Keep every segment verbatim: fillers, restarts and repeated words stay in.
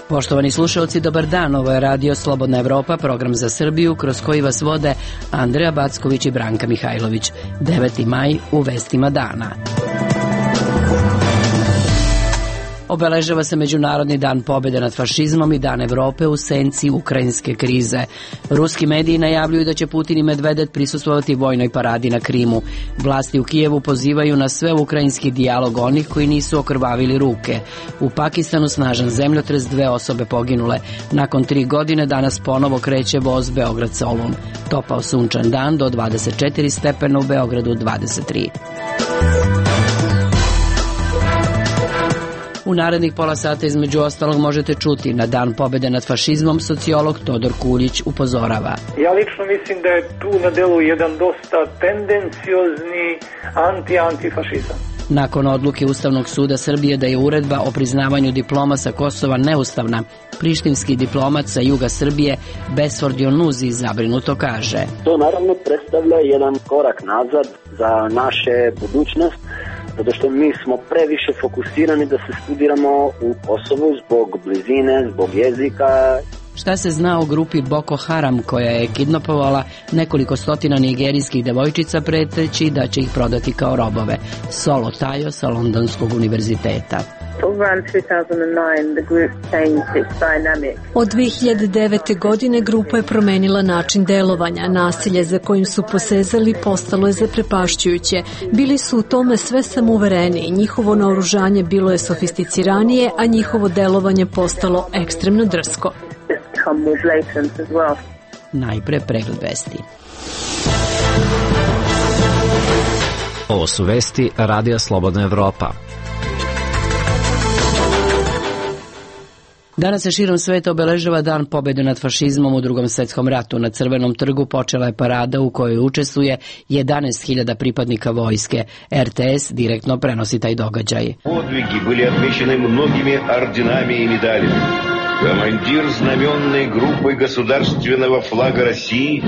Poštovani slušalci, dobar dan. Ovo je Radio Slobodna Evropa, program za Srbiju, kroz koji vas vode Andreja Backović i Branka Mihajlović. deveti maj u vestima dana. Obeležava se Međunarodni dan pobjede nad fašizmom i Dan Evrope u senci ukrajinske krize. Ruski mediji najavljuju da će Putin i Medvedev prisustvovati vojnoj paradi na Krimu. Vlasti u Kijevu pozivaju na sveukrajinski dijalog onih koji nisu okrvavili ruke. U Pakistanu snažan zemljotres, dve osobe poginule. Nakon tri godine danas ponovo kreće voz Beograd-Solun. Topao sunčan dan do dvadeset četiri stepena, u Beogradu dvadeset tri. U narednih pola sata između ostalog možete čuti: na dan pobjede nad fašizmom sociolog Todor Kuljić upozorava. Ja lično mislim da je tu na delu jedan dosta tendenciozni anti-antifašizam. Nakon odluke Ustavnog suda Srbije da je uredba o priznavanju diploma sa Kosova neustavna, prištinski diplomat sa juga Srbije Besford Jonuzi zabrinuto kaže: To naravno predstavlja jedan korak nazad za naše budućnost, zato što mi smo previše fokusirani da se studiramo u Kosovu zbog blizine, zbog jezika. Šta se zna o grupi Boko Haram koja je kidnapovala nekoliko stotina nigerijskih devojčica preteći da će ih prodati kao robove? Solo Tayo sa Londonskog univerziteta. Od dve hiljade devete. godine grupa je promenila način delovanja. Nasilje za kojim su posezali postalo je zaprepašćujuće. Bili su u tome sve samouvereniji. Njihovo naoružanje bilo je sofisticiranije, a njihovo delovanje postalo ekstremno drsko. Najpre pregled vesti. Ovo su vesti Radija Slobodna Evropa. Danas se širom sveta obeležava Dan pobjede nad fašizmom u Drugom svjetskom ratu. Na Crvenom trgu počela je parada u kojoj učestvuje jedanaest hiljada pripadnika vojske. er te es direktno prenosi taj događaj. Подвиги были отмечены многими орденами и медалями. Командир знаменной группы государственного флага России.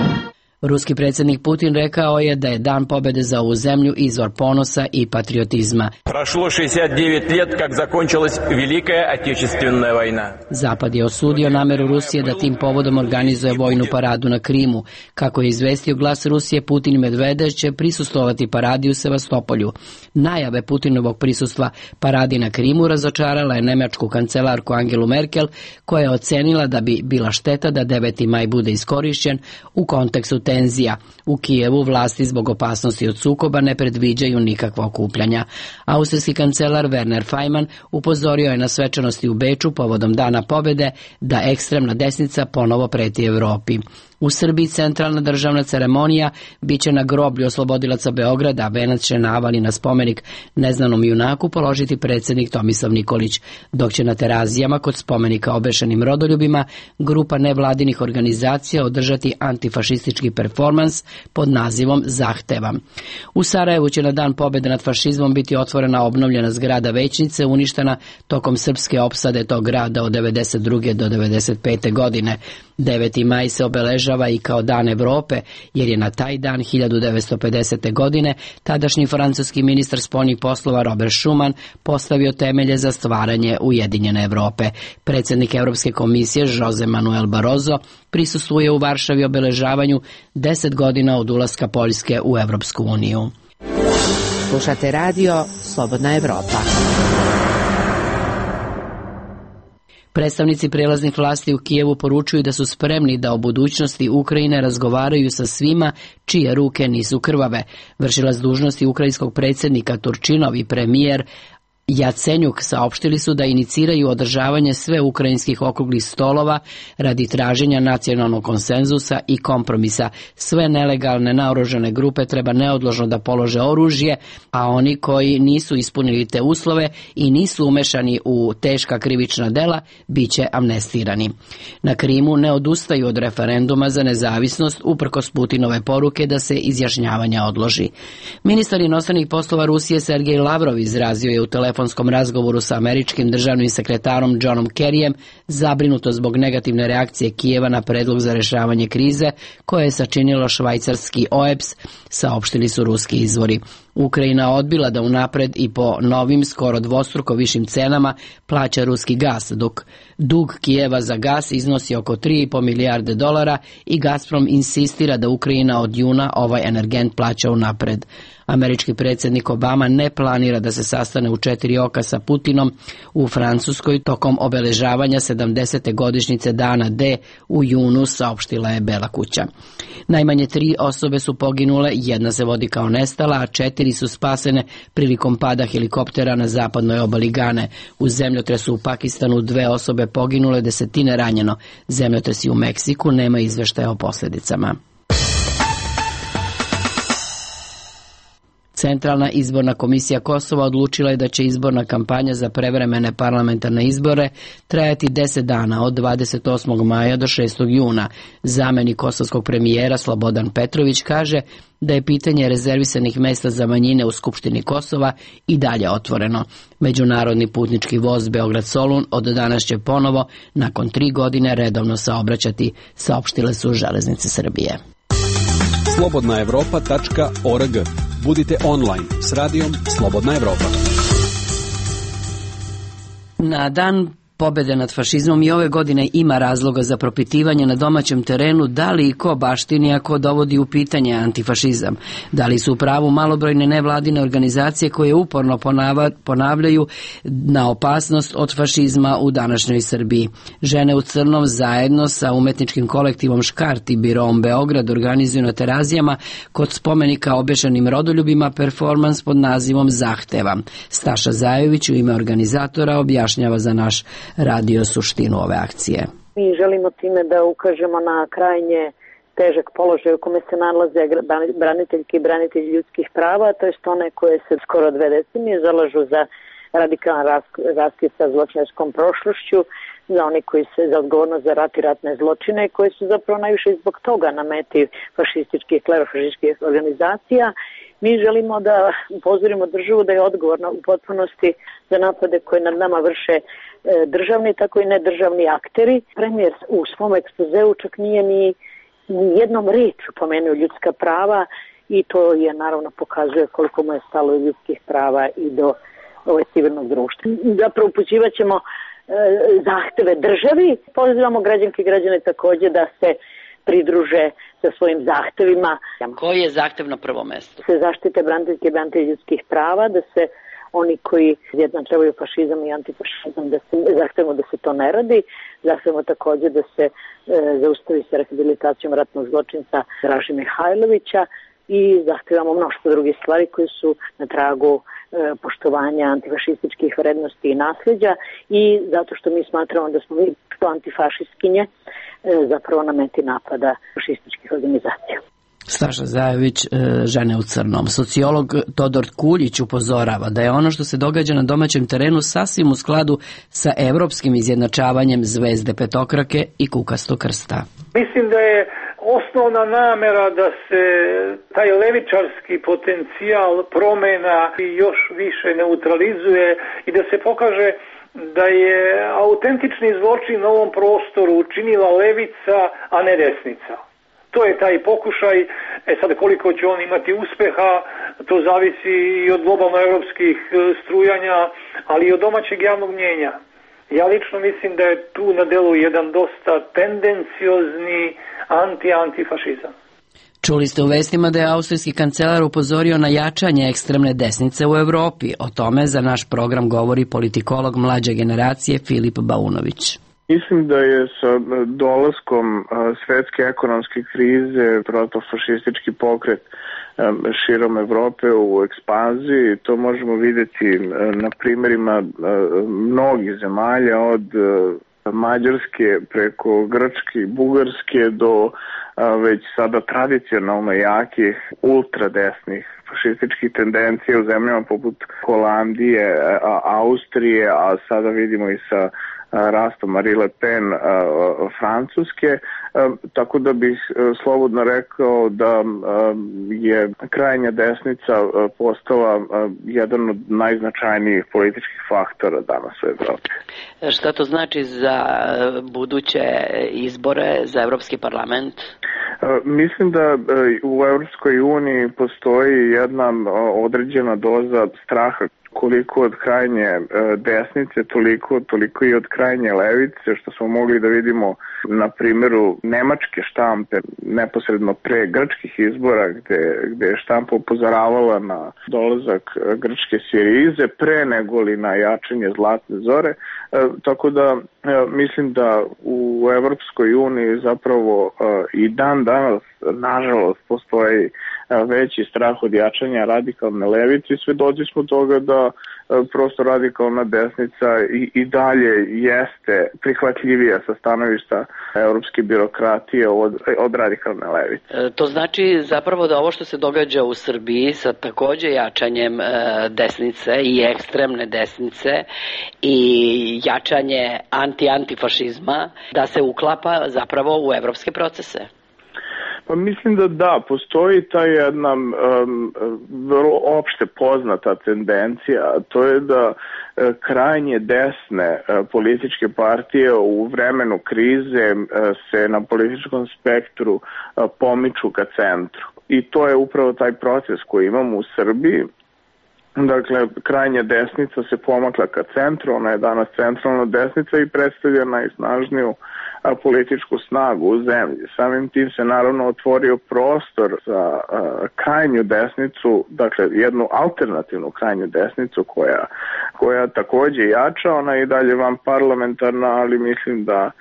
Ruski predsjednik Putin rekao je da je Dan pobjede za ovu zemlju izvor ponosa i patriotizma. Prošlo šezdeset devet let как закончилась Великая Отечественная война. Zapad je osudio nameru Rusije da tim povodom organizuje vojnu paradu na Krimu. Kako je izvestio Glas Rusije, Putin i Medvedev će prisustvovati paradi u Sevastopolju. Najave Putinovog prisustva paradi na Krimu razočarala je nemačku kancelarku Angelu Merkel, koja je ocenila da bi bila šteta da deveti maj bude iskorišćen u kontekstu tenzija. U Kijevu vlasti zbog opasnosti od sukoba ne predviđaju nikakva okupljanja. Austrijski kancelar Werner Faymann upozorio je na svečanosti u Beču povodom Dana pobjede da ekstremna desnica ponovo preti Evropi. U Srbiji centralna državna ceremonija biće na groblju oslobodilaca Beograda, a venac će navali na spomenik neznanom junaku položiti predsjednik Tomislav Nikolić, dok će na Terazijama kod spomenika obešenim rodoljubima grupa nevladinih organizacija održati antifašistički performans pod nazivom Zahtevam. U Sarajevu će na Dan pobjede nad fašizmom biti otvorena obnovljena zgrada Većnice, uništena tokom srpske opsade tog grada od devedeset druge do devedeset pete. godine. deveti maj se obeležava i kao Dan Evrope, jer je na taj dan hiljadu devetsto pedesete. godine tadašnji francuski ministar spoljnih poslova Robert Schuman postavio temelje za stvaranje Ujedinjene Evrope. Predsjednik Europske komisije Jose Manuel Barroso prisustvuje u Varšavi obeležavanju deset godina od ulaska Poljske u Europsku uniju. Slušate radio Slobodna Evropa. Predstavnici prijelaznih vlasti u Kijevu poručuju da su spremni da o budućnosti Ukrajine razgovaraju sa svima čije ruke nisu krvave. Vršilac dužnosti ukrajinskog predsjednika Turčinov i premijer Jacenjuk saopštili su da iniciraju održavanje sve ukrajinskih okruglih stolova radi traženja nacionalnog konsenzusa i kompromisa. Sve nelegalne naoružane grupe treba neodložno da polože oružje, a oni koji nisu ispunili te uslove i nisu umešani u teška krivična dela bit će amnestirani. Na Krimu ne odustaju od referenduma za nezavisnost uprkos Putinove poruke da se izjašnjavanje odloži. Ministar inostranih poslova Rusije Sergej Lavrov izrazio je u telefonu telefonskom razgovoru sa američkim državnim sekretarom Johnom Kerryjem zabrinuto zbog negativne reakcije Kijeva na predlog za rešavanje krize koje je sačinilo švajcarski O E P S, saopštili su ruski izvori. Ukrajina odbila da unapred i po novim, skoro dvostruko višim cenama plaća ruski gas, dok dug Kijeva za gas iznosi oko tri i po milijarde dolara i Gazprom insistira da Ukrajina od juna ovaj energent plaća unapred. Američki predsjednik Obama ne planira da se sastane u četiri oka sa Putinom u Francuskoj tokom obeležavanja sedamdesete godišnjice dana D u junu, saopštila je Bela kuća. Najmanje tri osobe su poginule, jedna se vodi kao nestala, a četiri su spasene prilikom pada helikoptera na zapadnoj obali Gane. U zemljotresu u Pakistanu dve osobe poginule, desetine ranjeno. Zemljotresi u Meksiku, nema izveštaja o posljedicama. Centralna izborna komisija Kosova odlučila je da će izborna kampanja za prevremene parlamentarne izbore trajati deset dana od dvadeset osmog maja do šestog juna. Zamenik kosovskog premijera Slobodan Petrović kaže da je pitanje rezervisanih mesta za manjine u Skupštini Kosova i dalje otvoreno. Međunarodni putnički voz Beograd-Solun od danas će ponovo, nakon tri godine, redovno saobraćati, saopštile su Železnice Srbije. slobodna evropa tačka org. Budite online s radijom Slobodna Evropa. Na dan pobede nad fašizmom i ove godine ima razloga za propitivanje na domaćem terenu da li i ko baštini ako dovodi u pitanje antifašizam. Da li su u pravu malobrojne nevladine organizacije koje uporno ponavljaju na opasnost od fašizma u današnjoj Srbiji. Žene u crnom zajedno sa umetničkim kolektivom Škart i Biroom Beograd organizuju na Terazijama kod spomenika obešenim rodoljubima performans pod nazivom Zahteva. Staša Zajović u ime organizatora objašnjava za naš radio suštinu ove akcije. Mi želimo time da ukažemo na krajnje težak položaj u kome se nalaze braniteljke i branitelji ljudskih prava, to jest one koje se skoro dve decenije zalažu za radikalan raskid sa zločinačkom prošlošću, za oni koji se za odgovornost za rat i ratne zločine, koji su zapravo najviše zbog toga na meti fašističkih, klerofašističkih organizacija. Mi želimo da upozorimo državu da je odgovorna u potpunosti za napade koje nad nama vrše državni, tako i nedržavni akteri. Premijer u svom ekspozeu čak nije ni, ni jednom rečju pomenuo ljudska prava i to je naravno pokazuje koliko mu je stalo ljudskih prava i do ove civilnog društva. Zapravo upućivat ćemo e, zahteve državi. Pozivamo građanke i građane takođe da se pridruže sa svojim zahtevima. Koji je zahtev na prvo mesto? Se zaštite braniteljke i branitelji ljudskih prava, da se oni koji izjednačavaju fašizam i antifašizam, da se, zahtevamo da se to ne radi, zahtevamo takođe da se e, zaustavi sa rehabilitacijom ratnog zločinca Draže Mihajlovića i zahtevamo mnoštvo drugih stvari koje su na tragu e, poštovanja antifašističkih vrednosti i nasljeđa i zato što mi smatramo da smo mi antifašistkinje e, zapravo na meti napada fašističkih organizacija. Staša Zajović, žene u crnom. Sociolog Todor Kuljić upozorava da je ono što se događa na domaćem terenu sasvim u skladu sa evropskim izjednačavanjem zvezde petokrake i kukastog krsta. Mislim da je osnovna namera da se taj levičarski potencijal promena još više neutralizuje i da se pokaže da je autentični zločin na ovom prostoru učinila levica, a ne desnica. To je taj pokušaj, e sad koliko će on imati uspeha, to zavisi i od globalno evropskih strujanja, ali i od domaćeg javnog mnjenja. Ja lično mislim da je tu na delu jedan dosta tendenciozni anti-antifašizam. Čuli ste u vestima da je austrijski kancelar upozorio na jačanje ekstremne desnice u Evropi. O tome za naš program govori politikolog mlađe generacije Filip Baunović. Mislim da je sa dolaskom svetske ekonomske krize protofašistički pokret širom Evrope u ekspanziji. To možemo vidjeti na primjerima mnogih zemalja od Mađarske preko Grčke i Bugarske do već sada tradicionalno jakih ultradesnih fašističkih tendencija u zemljama poput Holandije, Austrije, a sada vidimo i sa rasta Marine Le Pen Francuske, tako da bih slobodno rekao da je krajnja desnica postala jedan od najznačajnijih političkih faktora danas u Evropi. Šta to znači za buduće izbore za Evropski parlament? Mislim da u Evropskoj uniji postoji jedna određena doza straha, koliko od krajnje desnice, toliko, toliko i od krajnje levice, što smo mogli da vidimo na primjeru nemačke štampe neposredno pre grčkih izbora, gde, gde je štampa upozoravala na dolazak grčke Sirize pre nego li na jačanje Zlatne zore. E, tako da e, mislim da u Evropskoj uniji zapravo e, i dan danas nažalost postoji veći strah od jačanja radikalne levice i svedoci smo toga da prosto radikalna desnica i, i dalje jeste prihvatljivija sa stanovišta evropske birokratije od, od radikalne levice. E, to znači zapravo da ovo što se događa u Srbiji sa takođe jačanjem e, desnice i ekstremne desnice i jačanje anti-antifašizma, da se uklapa zapravo u evropske procese. Pa mislim da da, postoji ta jedna um, vrlo opšte poznata tendencija, a to je da uh, krajnje desne uh, političke partije u vremenu krize uh, se na političkom spektru uh, pomiču ka centru. I to je upravo taj proces koji imamo u Srbiji. Dakle, krajnja desnica se pomakla ka centru, ona je danas centralna desnica i predstavlja najsnažniju a, političku snagu u zemlji. Samim tim se naravno otvorio prostor za a, krajnju desnicu, dakle jednu alternativnu krajnju desnicu koja, koja takođe jača, ona je i dalje van parlamentarna, ali mislim da a,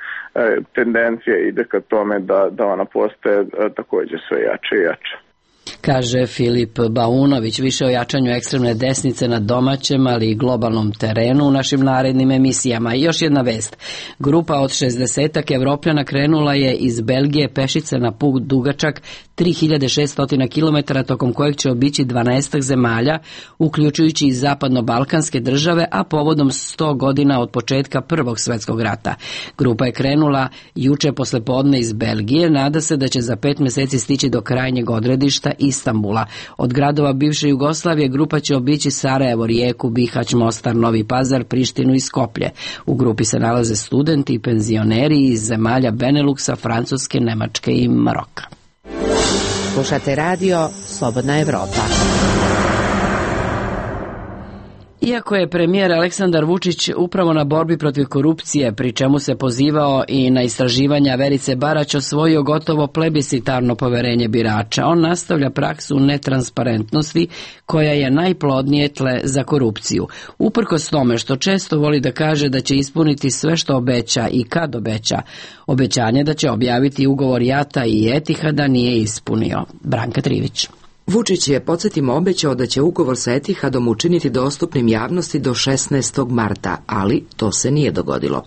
tendencija ide ka tome da, da ona postaje a, takođe sve jače i jače. Kaže Filip Baunović, više o jačanju ekstremne desnice na domaćem, ali i globalnom terenu u našim narednim emisijama. I još jedna vest. Grupa od šezdesetak Evropljana krenula je iz Belgije pešice na put dugačak tri hiljade šesto kilometara, tokom kojeg će obići dvanaest zemalja, uključujući i zapadno-balkanske države, a povodom sto godina od početka Prvog svetskog rata. Grupa je krenula juče poslepodne iz Belgije, nada se da će za pet meseci stići do krajnjeg odredišta Istanbula. Od gradova bivše Jugoslavije grupa će obići Sarajevo, Rijeku, Bihać, Mostar, Novi Pazar, Prištinu i Skoplje. U grupi se nalaze studenti i penzioneri iz zemalja Beneluksa, Francuske, Nemačke i Maroka. Slušate radio Slobodna Evropa. Iako je premijer Aleksandar Vučić upravo na borbi protiv korupcije, pri čemu se pozivao i na istraživanja Verice Barać, osvojio gotovo plebiscitarno poverenje birača, on nastavlja praksu netransparentnosti koja je najplodnije tle za korupciju. Uprkos tome što često voli da kaže da će ispuniti sve što obeća i kad obeća, obećanje da će objaviti ugovor JAT-a i Etihada nije ispunio. Branka Trivić. Vučić je, podsjetimo, obećao da će ugovor sa Etihadom učiniti dostupnim javnosti do šesnaestog marta, ali to se nije dogodilo.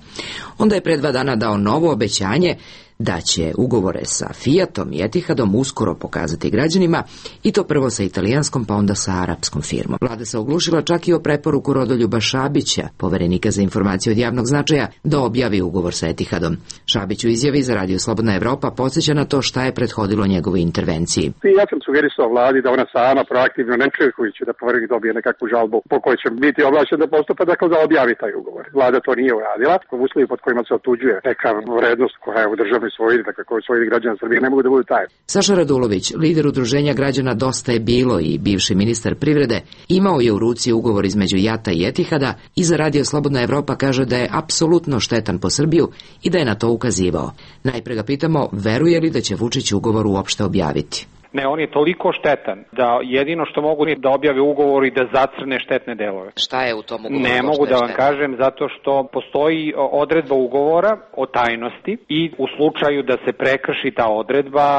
Onda je pre dva dana dao novo obećanje da će ugovore sa Fiatom i Etihadom uskoro pokazati građanima, i to prvo sa italijanskom pa onda sa arapskom firmom. Vlada se oglušila čak i o preporuku Rodoljuba Šabića, poverenika za informacije od javnog značaja, da objavi ugovor sa Etihadom. Šabić u izjavi za Radio Slobodna Evropa podsjeća na to šta je prethodilo njegovoj intervenciji. Ja sam sugerisao vladi da ona sama proaktivno, ne čekajući da poverenik dobije nekakvu žalbu po kojoj će biti ovlašćen da postupa, dakle da objavi taj ugovor. Vlada to nije uradila. U uslovi pod kojima se otuđuje neka vrednost koja je u državnoj svojini, dakle koji svojini građana Srbije, ne mogu da budu taj. Saša Radulović, lider udruženja građana Dosta je bilo i bivši ministar privrede, imao je u ruci ugovor između JAT-a i Etihada i za Radio Slobodna Evropa kaže da je apsolutno štetan po Srbiju i da je na to ukazivao. Najpre ga pitamo, veruje li da će Vučić ugovor uopšte objaviti? Ne, on je toliko štetan da jedino što mogu je da objave ugovor i da zacrne štetne delove. Šta je u tom ugovoru? Ne mogu da vam kažem, zato što postoji odredba ugovora o tajnosti i u slučaju da se prekrši ta odredba,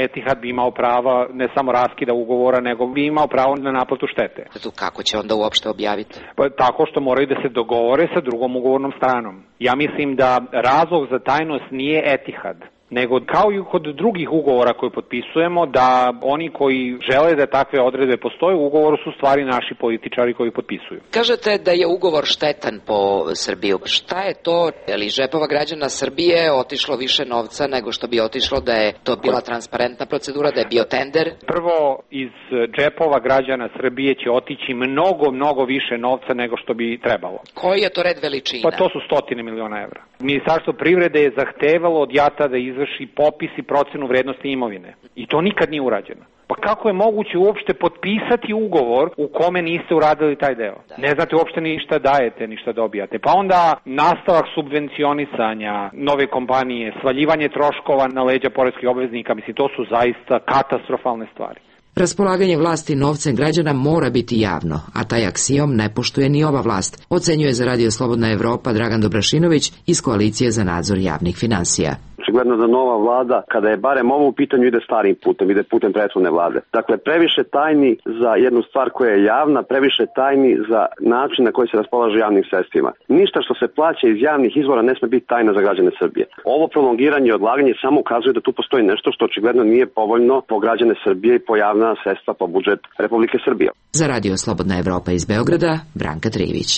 Etihad bi imao prava ne samo raskida ugovora, nego bi imao pravo na naplatu štete. Kako će onda uopšte objaviti? Pa, tako što moraju da se dogovore sa drugom ugovornom stranom. Ja mislim da razlog za tajnost nije Etihad, nego kao i kod drugih ugovora koje potpisujemo, da oni koji žele da takve odredbe postoje u ugovoru su stvari naši političari koji potpisuju. Kažete da je ugovor štetan po Srbiju. Šta je to? Je li džepova građana Srbije otišlo više novca nego što bi otišlo da je to bila transparentna procedura, da je bio tender? Prvo, iz džepova građana Srbije će otići mnogo, mnogo više novca nego što bi trebalo. Koji je to red veličina? Pa to su stotine miliona evra. Ministarstvo privrede je zahtevalo od JAT-a da izvrši popis i procenu vrednosti imovine. I to nikad nije urađeno. Pa kako je moguće uopšte potpisati ugovor u kome niste uradili taj deo? Da. Ne znate uopšte ništa dajete, ništa dobijate. Pa onda nastavak subvencionisanja nove kompanije, svaljivanje troškova na leđa poreskih obveznika, mislim, to su zaista katastrofalne stvari. Raspolaganje vlasti novcem građana mora biti javno, a taj aksijom ne poštuje ni ova vlast, ocenjuje za Radio Slobodna Evropa Dragan Dobrašinović iz Koalicije za nadzor javnih finansija. Očigledno da nova vlada, kada je barem ovo u pitanju, ide starim putem, ide putem prethodne vlade. Dakle, previše tajni za jednu stvar koja je javna, previše tajni za način na koji se raspolaže javnim sredstvima. Ništa što se plaća iz javnih izvora ne sme biti tajna za građane Srbije. Ovo prolongiranje i odlaganje samo ukazuje da tu postoji nešto što očigledno nije povoljno po građane Srbije i po javna sredstva po budžet Republike Srbije. Za Radio Slobodna Evropa iz Beograda, Branka Trivić.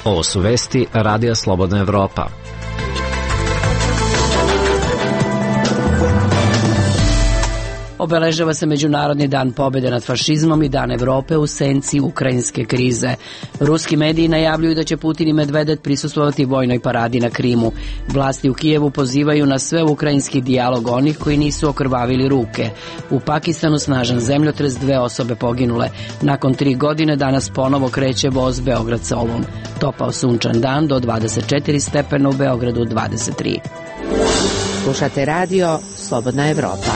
Ovo su vesti Radija Slobodna Evropa. Obeležava se Međunarodni dan pobjede nad fašizmom i Dan Evrope u senci ukrajinske krize. Ruski mediji najavljuju da će Putin i Medvedev prisustvovati vojnoj paradi na Krimu. Vlasti u Kijevu pozivaju na sve ukrajinski dijalog onih koji nisu okrvavili ruke. U Pakistanu snažan zemljotres, dve osobe poginule. Nakon tri godine danas ponovo kreće voz Beograd-Solun. Topao sunčan dan do dvadeset četiri stepena, u Beogradu dvadeset tri. Slušate radio Slobodna Evropa.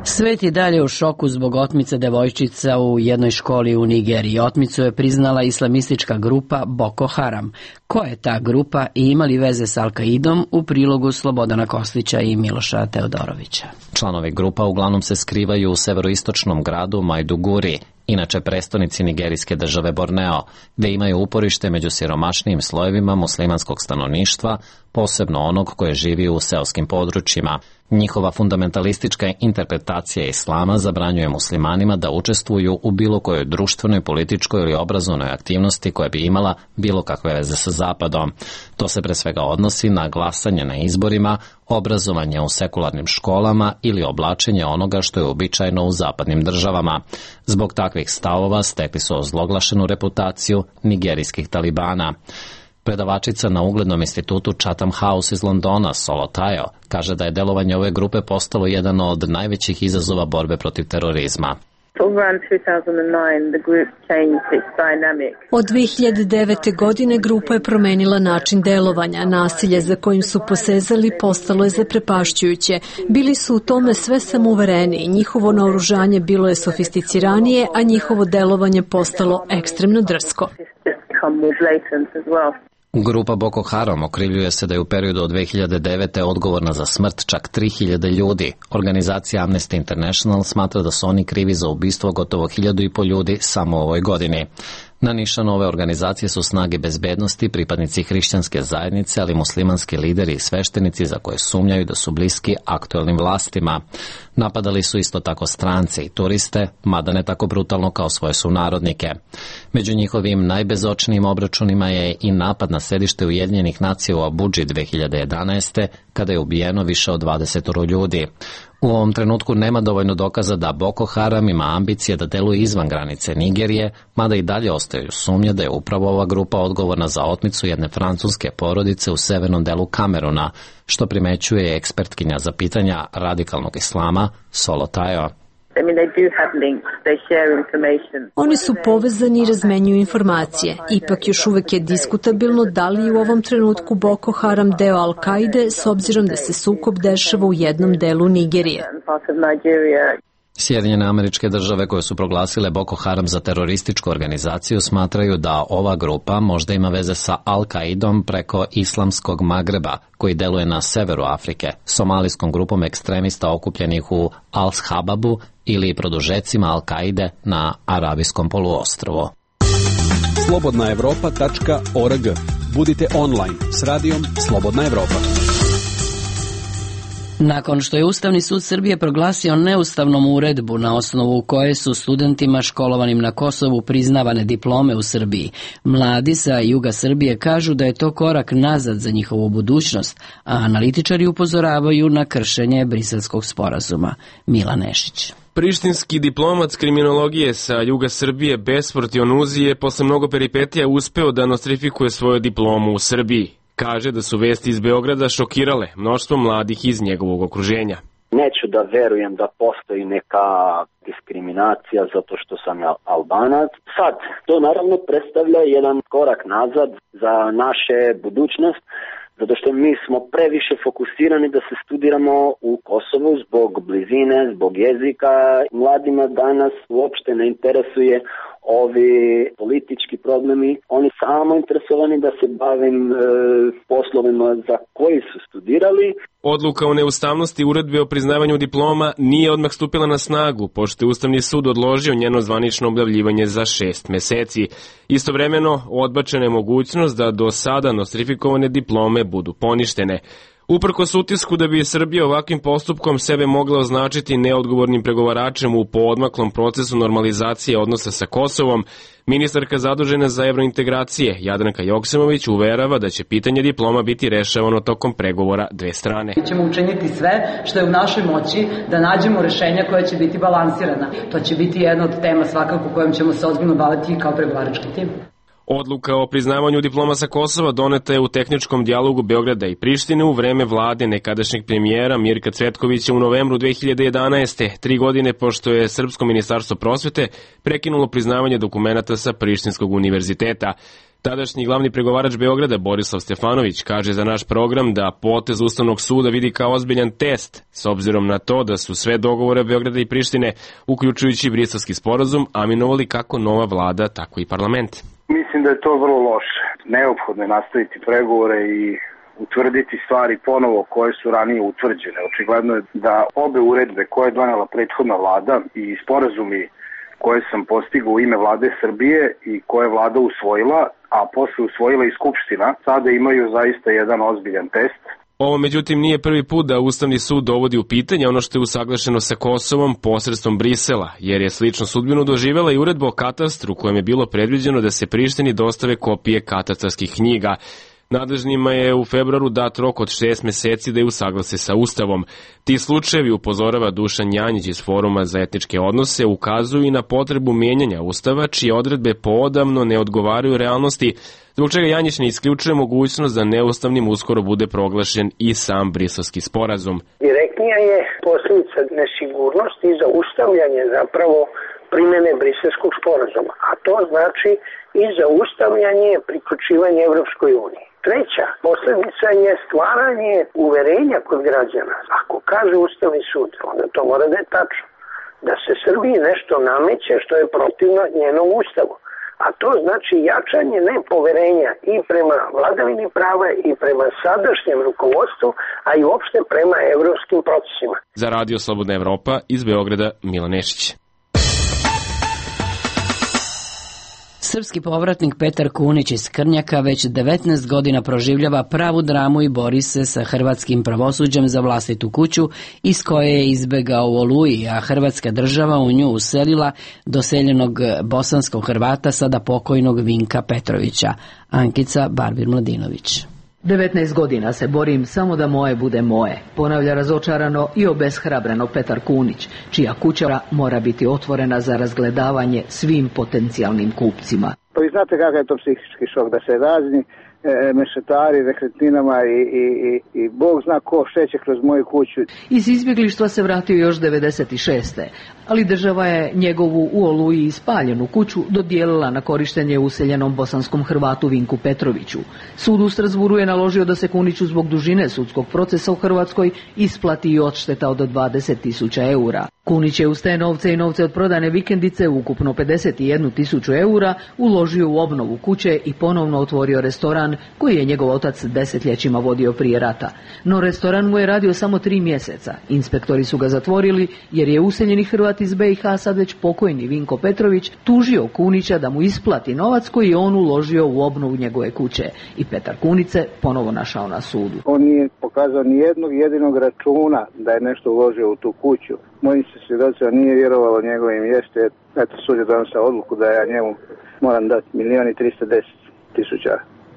Svet je dalje u šoku zbog otmice devojčica u jednoj školi u Nigeriji. Otmicu je priznala islamistička grupa Boko Haram. Ko je ta grupa i ima li veze s Al-Kaidom, u prilogu Slobodana Koslića i Miloša Teodorovića. Članovi grupa uglavnom se skrivaju u severoistočnom gradu Majduguri, inače prestonici nigerijske države Borneo, gde imaju uporište među siromašnijim slojevima muslimanskog stanovništva, posebno onog koje živi u seoskim područjima. Njihova fundamentalistička interpretacija islama zabranjuje muslimanima da učestvuju u bilo kojoj društvenoj, političkoj ili obrazovnoj aktivnosti koja bi imala bilo kakve veze sa Zapadom. To se pre svega odnosi na glasanje na izborima, obrazovanje u sekularnim školama ili oblačenje onoga što je uobičajeno u zapadnim državama. Zbog takvih stavova stekli su ozloglašenu reputaciju nigerijskih talibana. Predavačica na uglednom institutu Chatham House iz Londona, Solo Tayo, kaže da je delovanje ove grupe postalo jedan od najvećih izazova borbe protiv terorizma. Od dve hiljade devete. godine grupa je promenila način delovanja. Nasilje za kojim su posezali postalo je zaprepašćujuće. Bili su u tome sve samouvereni. Njihovo naoružanje bilo je sofisticiranije, a njihovo delovanje postalo ekstremno drsko. Grupa Boko Haram okrivljuje se da je u periodu od dve hiljade devete. odgovorna za smrt čak tri hiljade ljudi. Organizacija Amnesty International smatra da su oni krivi za ubistvo gotovo hiljadu i po ljudi samo u ovoj godini. Na nišanu ove organizacije su snage bezbednosti, pripadnici hrišćanske zajednice, ali muslimanski lideri i sveštenici za koje sumnjaju da su bliski aktuelnim vlastima. Napadali su isto tako strance i turiste, mada ne tako brutalno kao svoje sunarodnike. Među njihovim najbezočnijim obračunima je i napad na sedište Ujedinjenih nacija u Abudži dve hiljade jedanaeste. kada je ubijeno više od dvadeset ljudi. U ovom trenutku nema dovoljno dokaza da Boko Haram ima ambicije da deluje izvan granice Nigerije, mada i dalje ostaju sumnje da je upravo ova grupa odgovorna za otmicu jedne francuske porodice u severnom delu Kameruna, što primećuje ekspertkinja za pitanja radikalnog islama Solo Tayo. Oni su povezani i razmenjuju informacije. Ipak još uvek je diskutabilno da li je u ovom trenutku Boko Haram deo Al-Kaide s obzirom da se sukob dešava u jednom delu Nigerije. Sjedinjene Američke Države koje su proglasile Boko Haram za terorističku organizaciju smatraju da ova grupa možda ima veze sa Al-Kaidom preko Islamskog Magreba, koji deluje na severu Afrike, somalijskom grupom ekstremista okupljenih u Al-Shababu ili produžecima Al-Kaide na Arabijskom poluostrvu. slobodna evropa tačka org. Budite online s radijom Slobodna Evropa. Nakon što je Ustavni sud Srbije proglasio neustavnom uredbu na osnovu koje su studentima školovanim na Kosovu priznavane diplome u Srbiji, mladi sa juga Srbije kažu da je to korak nazad za njihovu budućnost, a analitičari upozoravaju na kršenje Briselskog sporazuma. Mila Nešić. Prištinski diplomat kriminologije sa juga Srbije Besport Jonuzi je posle mnogo peripetija uspeo da nostrifikuje svoju diplomu u Srbiji. Kaže da su vesti iz Beograda šokirale mnoštvo mladih iz njegovog okruženja. Neću da verujem da postoji neka diskriminacija zato što sam Albanac. Sad, to naravno predstavlja jedan korak nazad za naše budućnost, zato što mi smo previše fokusirani da se studiramo u Kosovu zbog blizine, zbog jezika. Mladima danas uopšte ne interesuje ovi politički problemi. Oni samo interesovani da se bavim e, poslovima za koji su studirali. Odluka o neustavnosti uredbe o priznavanju diploma nije odmah stupila na snagu, pošto je Ustavni sud odložio njeno zvanično objavljivanje za šest meseci. Istovremeno, odbačena je mogućnost da do sada nostrifikovane diplome budu poništene. Uprkos utisku da bi Srbija ovakvim postupkom sebe mogla označiti neodgovornim pregovaračem u poodmaklom procesu normalizacije odnosa sa Kosovom, ministarka zadužena za evrointegracije Jadranka Joksimović uverava da će pitanje diploma biti rešavano tokom pregovora dve strane. Mi ćemo učiniti sve što je u našoj moći da nađemo rešenja koja će biti balansirana. To će biti jedna od tema svakako kojom ćemo se ozbiljno baviti kao pregovarački tim. Odluka o priznavanju diploma sa Kosova doneta je u tehničkom dijalogu Beograda i Prištine u vreme vlade nekadašnjeg premijera Mirka Cvetkovića u novembru dve hiljade jedanaeste. Tri godine pošto je Srpsko ministarstvo prosvete prekinulo priznavanje dokumenata sa Prištinskog univerziteta. Tadašnji glavni pregovarač Beograda Borislav Stefanović kaže za naš program da potez Ustavnog suda vidi kao ozbiljan test, s obzirom na to da su sve dogovore Beograda i Prištine, uključujući Briselski sporazum, aminovali kako nova vlada, tako i parlament. Mislim da je to vrlo loše. Neophodno je nastaviti pregovore i utvrditi stvari ponovo koje su ranije utvrđene. Očigledno je da obe uredbe koje je donela prethodna vlada i sporazumi koje sam postigao u ime vlade Srbije i koje je vlada usvojila, a posle usvojila i Skupština, sada imaju zaista jedan ozbiljan test. Ovo, međutim, nije prvi put da Ustavni sud dovodi u pitanje ono što je usaglašeno sa Kosovom posredstvom Brisela, jer je sličnu sudbinu doživela i uredba o katastru kojem je bilo predviđeno da se Prištini dostave kopije katastarskih knjiga. Nadležnima je u februaru dat rok od šest meseci da je usaglase sa Ustavom. Ti slučajevi, upozorava Dušan Janjić iz Foruma za etničke odnose, ukazuju i na potrebu mijenjanja Ustava, čije odredbe poodavno ne odgovaraju realnosti, zbog čega Janjić ne isključuje mogućnost da neustavnim uskoro bude proglašen i sam Briselski sporazum. Direktnija je posljedica nesigurnosti i zaustavljanje zapravo primjene Briselskog sporazuma, a to znači i zaustavljanje priključivanja Evropskoj uniji. Treća posljedica je stvaranje uverenja kod građana. Ako kaže Ustavni sud, onda to mora da je tačno. Da se Srbiji nešto nameće što je protivno njenom ustavu. A to znači jačanje nepoverenja i prema vladavini prava i prema sadašnjem rukovodstvu, a i uopšte prema evropskim procesima. Za Radio Slobodna Evropa iz Beograda, Mila Nešić. Srpski povratnik Petar Kunić iz Krnjaka već devetnaest godina proživljava pravu dramu i bori se sa hrvatskim pravosuđem za vlastitu kuću iz koje je izbegao u Oluji, a hrvatska država u nju uselila doseljenog bosanskog Hrvata, sada pokojnog Vinka Petrovića. Ankica Barbir Mladinović. devetnaest godina se borim samo da moje bude moje, ponavlja razočarano i obeshrabreno Petar Kunić, čija kuća mora biti otvorena za razgledavanje svim potencijalnim kupcima. Pa vi znate kakav je to psihički šok, da se razni e, mešetari, rekretninama i, i, i, i Bog zna ko šeće kroz moju kuću. Iz izbjeglištva se vratio još devedeset šeste. ali država je njegovu u Oluji ispaljenu kuću dodijelila na korištenje useljenom bosanskom Hrvatu Vinku Petroviću. Sud u Strasburu je naložio da se Kuniću zbog dužine sudskog procesa u Hrvatskoj isplati i odšteta od dvadeset tisuća eura. Kunić je uz te novce i novce od prodane vikendice, ukupno pedeset jednu tisuću eura, uložio u obnovu kuće i ponovno otvorio restoran koji je njegov otac desetljećima vodio prije rata. No restoran mu je radio samo tri mjeseca. Inspektori su ga zatvorili jer je useljeni Hrvat iz B i H, sad već pokojni Vinko Petrović, tužio Kunića da mu isplati novac koji je on uložio u obnovu njegove kuće. I Petar Kunić se ponovo našao na sudu. On nije pokazao ni jednog jedinog računa da je nešto uložio u tu kuću. Moji se svjedoci nije vjerovalo njegovim jeste. Eto, sud je donosio odluku da ja njemu moram dati milijon i tristo deset tisuća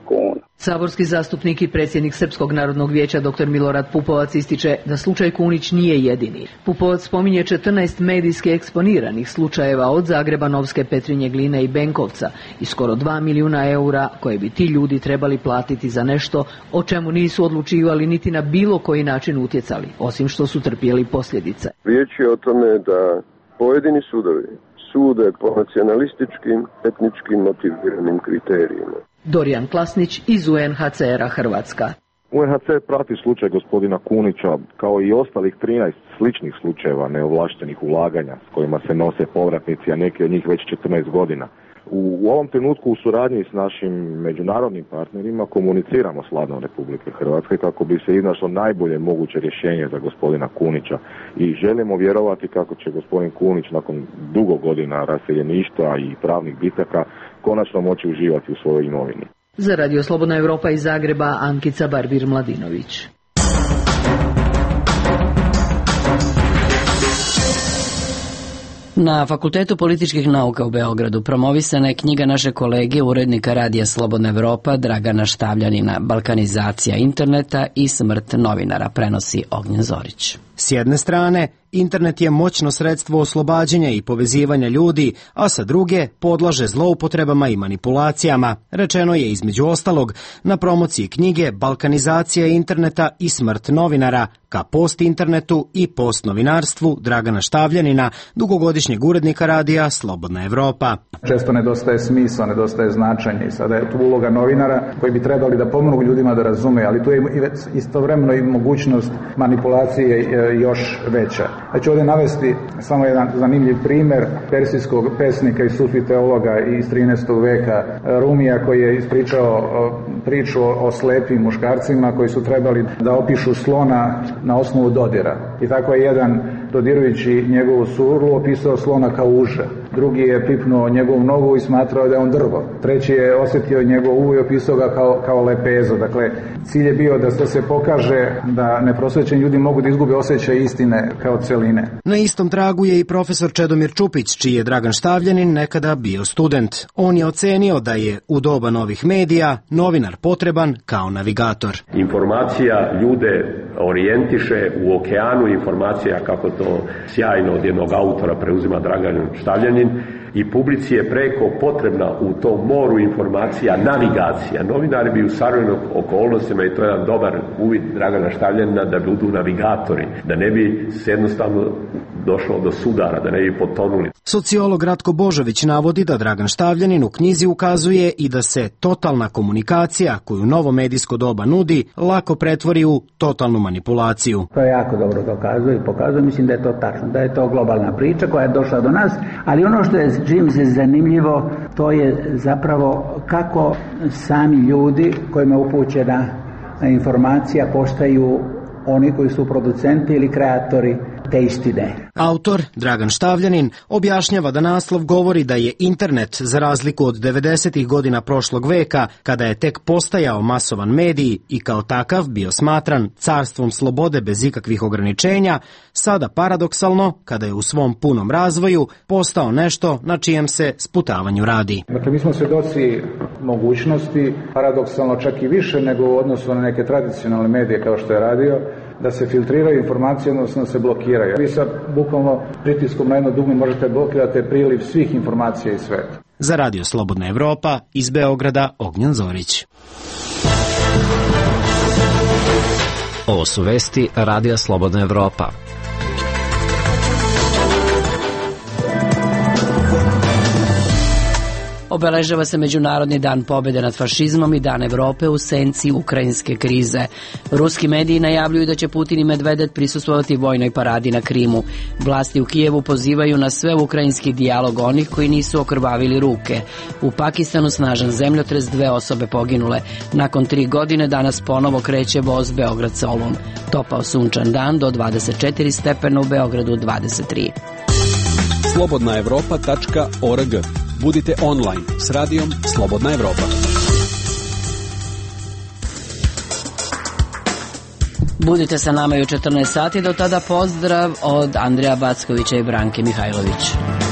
kuna. Saborski zastupnik i predsjednik Srpskog narodnog vijeća dr Milorad Pupovac ističe da slučaj Kunić nije jedini. Pupovac spominje četrnaest medijski eksponiranih slučajeva od Zagreba, Novske, Petrinje, Gline i Benkovca i skoro dva milijuna eura koje bi ti ljudi trebali platiti za nešto o čemu nisu odlučivali niti na bilo koji način utjecali, osim što su trpjeli posljedice. Riječ je o tome da pojedini sudovi sude po nacionalističkim, etničkim motiviranim kriterijima. Dorijan Klasnić iz U N H C R-a Hrvatska. U N H C R prati slučaj gospodina Kunića kao i ostalih trinaest sličnih slučajeva neovlaštenih ulaganja s kojima se nose povratnici, a neki od njih već četrnaest godina. U, u ovom trenutku u suradnji s našim međunarodnim partnerima komuniciramo s Vladom Republike Hrvatske kako bi se iznašlo najbolje moguće rješenje za gospodina Kunića i želimo vjerovati kako će gospodin Kunić nakon dugo godina raseljeništva i pravnih bitaka konačno moći uživati u svojoj imovini. Za Radio Slobodna Evropa iz Zagreba, Ankica Barbir-Mladinović. Na Fakultetu političkih nauka u Beogradu promovisana je knjiga naše kolege, urednika Radija Slobodna Evropa Dragana Štavljanina, Balkanizacija interneta i smrt novinara, prenosi Ognjen Zorić. S jedne strane, internet je moćno sredstvo oslobađanja i povezivanja ljudi, a sa druge podlaže zloupotrebama i manipulacijama, rečeno je između ostalog na promociji knjige Balkanizacija interneta i smrt novinara, ka post-internetu i post-novinarstvu Dragana Štavljanina, dugogodišnjeg urednika radija Slobodna Evropa. Često nedostaje smisla, nedostaje značenje i sada je tu uloga novinara koji bi trebali da pomognu ljudima da razume, ali tu je istovremeno i mogućnost manipulacije još veća. Ja ću ovdje navesti samo jedan zanimljiv primjer persijskog pesnika i sufi teologa iz trinaestog veka Rumija, koji je ispričao priču o slepim muškarcima koji su trebali da opišu slona na osnovu dodira. I tako je jedan, dodirujući njegovu suru, opisao slona kao uže. Drugi je pipnuo njegovu nogu i smatrao da je on drvo. Treći je osjetio njegov uvo i opisao ga kao, kao lepezo. Dakle, cilj je bio da se pokaže da neprosvećeni ljudi mogu da izgube osjećaj istine kao celine. Na istom tragu je i profesor Čedomir Čupić, čiji je Dragan Štavljanin nekada bio student. On je ocenio da je u doba novih medija novinar potreban kao navigator. Informacija ljude orijentiše u okeanu informacija, kako to sjajno od jednog autora preuzima Dragan Štavljanin, i publici je preko potrebna u tom moru informacija navigacija. Novinari bi u savremenim okolnostima, i to je jedan dobar uvid Dragana Štavljanina, da budu navigatori, da ne bi se jednostavno došlo do sudara, da ne bi potonuli. Sociolog Ratko Božović navodi da Dragan Štavljanin u knjizi ukazuje i da se totalna komunikacija koju novo medijsko doba nudi lako pretvori u totalnu manipulaciju. To je jako dobro dokazuje i pokazuje, mislim da je to tačno, da je to globalna priča koja je došla do nas, ali ono što je čim se zanimljivo, to je zapravo kako sami ljudi kojima je upućena informacija postaju oni koji su producenti ili kreatori te istine. Autor, Dragan Štavljanin, objašnjava da naslov govori da je internet, za razliku od devedesetih godina prošlog veka, kada je tek postajao masovan medij i kao takav bio smatran carstvom slobode bez ikakvih ograničenja, sada paradoksalno, kada je u svom punom razvoju, postao nešto na čijem se sputavanju radi. Dakle, mi smo svjedoci mogućnosti, paradoksalno čak i više nego u odnosu na neke tradicionalne medije kao što je radio, da se filtriraju informacije, odnosno da se blokiraju. Vi sa bukvalno pritiskom na jedno dugme možete blokirati priliv svih informacija iz sveta. Za Radio Slobodna Evropa, iz Beograda, Ognjen Zorić. Ovo su vesti Radija Slobodna Evropa. Obeležava se Međunarodni dan pobjede nad fašizmom i Dan Evrope u senci ukrajinske krize. Ruski mediji najavljuju da će Putin i Medvedev prisustvovati vojnoj paradi na Krimu. Vlasti u Kijevu pozivaju na sve ukrajinski dijalog onih koji nisu okrvavili ruke. U Pakistanu snažan zemljotres, dve osobe poginule. Nakon tri godine danas ponovo kreće voz Beograd-Solun. Topao sunčan dan do dvadeset četiri stepena, u Beogradu dvadeset tri. slobodna evropa tačka org. Budite online s radijom Slobodna Evropa. Budite sa nama i u četrnaest sati, do tada pozdrav od Andreja Backovića i Branke Mihajlović.